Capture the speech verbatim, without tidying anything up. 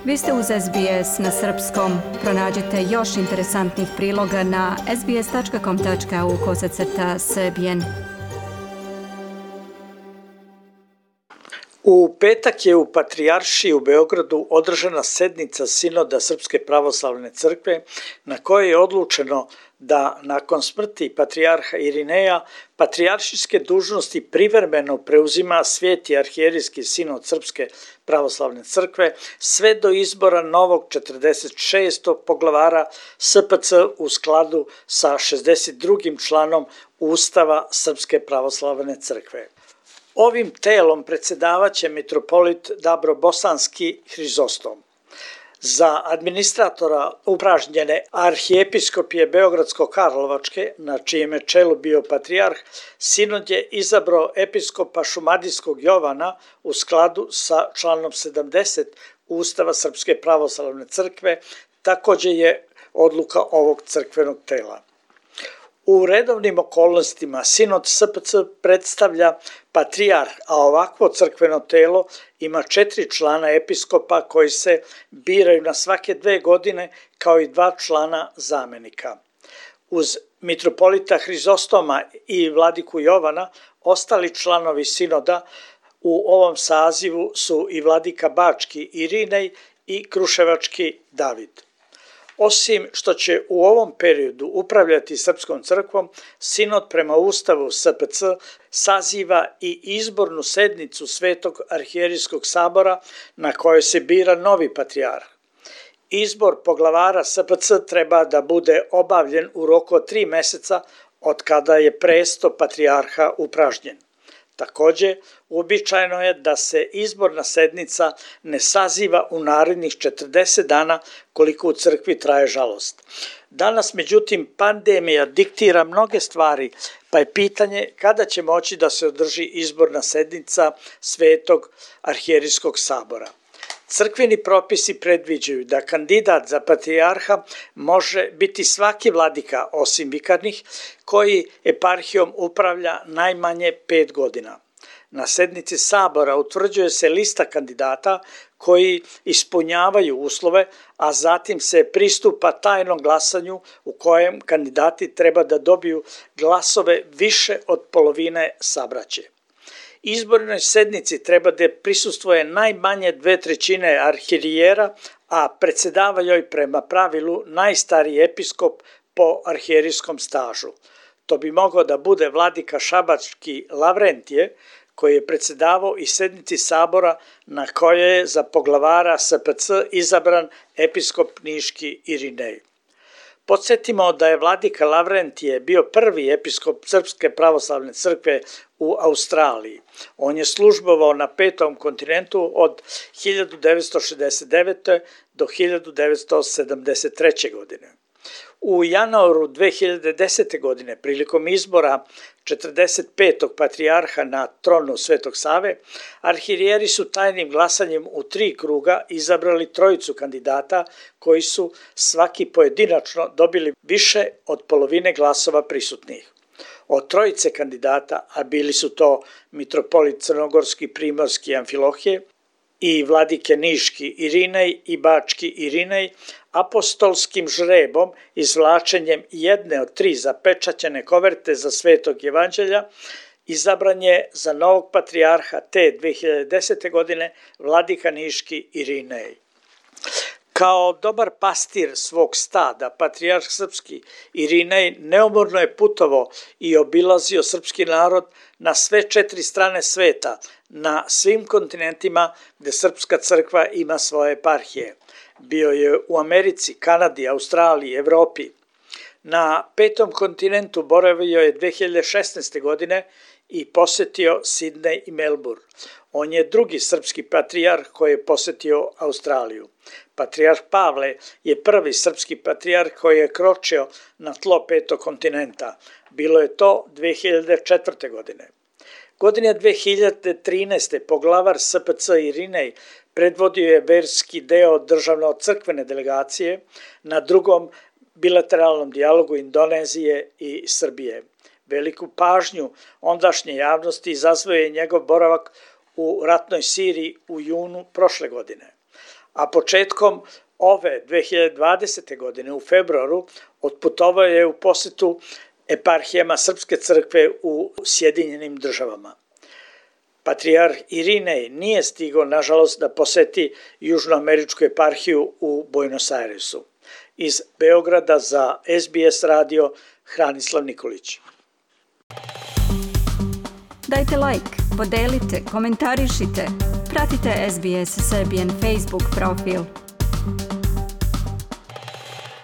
Vi ste uz S B S na srpskom. Pronađite još interesantnih priloga na sbs.com.au kosacrta srbijen. U petak je u Patrijaršiji u Beogradu održana sednica Sinoda Srpske pravoslavne crkve na kojoj je odlučeno da nakon smrti patrijarha Irineja patrijaršijske dužnosti privremeno preuzima Sveti arhijerijski sinod Srpske pravoslavne crkve sve do izbora novog četrdeset šestog poglavara S P C u skladu sa šezdeset drugim članom Ustava Srpske pravoslavne crkve. Ovim telom predsjedavaće mitropolit Dabrobosanski Hrizostom. Za administratora upražnjene arhijepiskopije Beogradsko-Karlovačke, na čijem je čelu bio patrijarh, sinod je izabrao episkopa Šumadijskog Jovana u skladu sa članom sedamdeset Ustava Srpske pravoslavne crkve, također je odluka ovog crkvenog tela. U redovnim okolnostima sinod S P C predstavlja patrijarh, a ovakvo crkveno telo ima četiri člana episkopa koji se biraju na svake dve godine kao i dva člana zamenika. Uz mitropolita Hrizostoma i vladiku Jovana, ostali članovi sinoda u ovom sazivu su i vladika Bački Irinej i Kruševački David. Osim što će u ovom periodu upravljati Srpskom crkvom, sinod prema Ustavu S P C saziva i izbornu sednicu Svetog arhijerijskog sabora na kojoj se bira novi patrijarh. Izbor poglavara S P C treba da bude obavljen u roku od tri meseca od kada je presto patrijarha upražnjen. Također, uobičajeno je da se izborna sednica ne saziva u narednih četrdeset dana koliko u crkvi traje žalost. Danas, međutim, pandemija diktira mnoge stvari, pa je pitanje kada će moći da se održi izborna sednica Svetog arhijerijskog sabora. Crkveni propisi predviđaju da kandidat za patrijarha može biti svaki vladika, osim vikarnih, koji eparhijom upravlja najmanje pet godina. Na sednici sabora utvrđuje se lista kandidata koji ispunjavaju uslove, a zatim se pristupa tajnom glasanju u kojem kandidati treba da dobiju glasove više od polovine sabraće. Izbornoj sednici treba da prisustvuje najmanje dve trećine arhijerijera, a predsjedava joj prema pravilu najstariji episkop po arhijerijskom stažu. To bi mogao da bude vladika Šabački Lavrentije, koji je predsjedavao i sednici sabora na kojoj je za poglavara S P C izabran episkop Niški Irinej. Podsjetimo da je vladika Lavrentije bio prvi episkop Srpske pravoslavne crkve u Australiji. On je službovao na petom kontinentu od hiljadu devetsto šezdeset devete. do hiljadu devetsto sedamdeset treće. godine. U januaru dve hiljade desete. godine, prilikom izbora četrdeset petog patrijarha na tronu Svetog Save, arhijerijeri su tajnim glasanjem u tri kruga izabrali trojicu kandidata koji su svaki pojedinačno dobili više od polovine glasova prisutnih. Od trojice kandidata, a bili su to mitropolit Crnogorski Primorski Amfilohije i vladike Niški Irinej i Bački Irinej, apostolskim žrebom, izvlačenjem jedne od tri zapečaćene koverte za Svetog Evanđelja, izabran je za novog patrijarha te dve hiljade desete. godine vladika Niški Irinej. Kao dobar pastir svog stada, patrijarh srpski Irinej neumorno je putovao i obilazio srpski narod na sve četiri strane sveta, na svim kontinentima gde Srpska crkva ima svoje eparhije. Bio je u Americi, Kanadi, Australiji, Evropi. Na petom kontinentu boravio je dve hiljade šesnaeste. godine i posjetio Sidney i Melbourne. On je drugi srpski patrijarh koji je posjetio Australiju. Patrijarh Pavle je prvi srpski patrijarh koji je kročio na tlo petog kontinenta. Bilo je to dve hiljade četvrte. godine. Godine dve hiljade trinaeste. poglavar S P C Irinej predvodio je verski deo državno-crkvene delegacije na drugom bilateralnom dijalogu Indonezije i Srbije. Veliku pažnju ondašnje javnosti izazvao je njegov boravak u ratnoj Siriji u junu prošle godine. a početkom ove dve hiljade dvadesete. godine u februaru otputovao je u posetu eparhijama Srpske crkve u Sjedinjenim državama. Patrijarh Irinej nije stigao, nažalost, da poseti Južnoameričku eparhiju u Buenos Airesu. Iz Beograda za S B S radio Hranislav Nikolić. Dajte like, podelite, komentarišite, pratite S B S Serbian Facebook profil.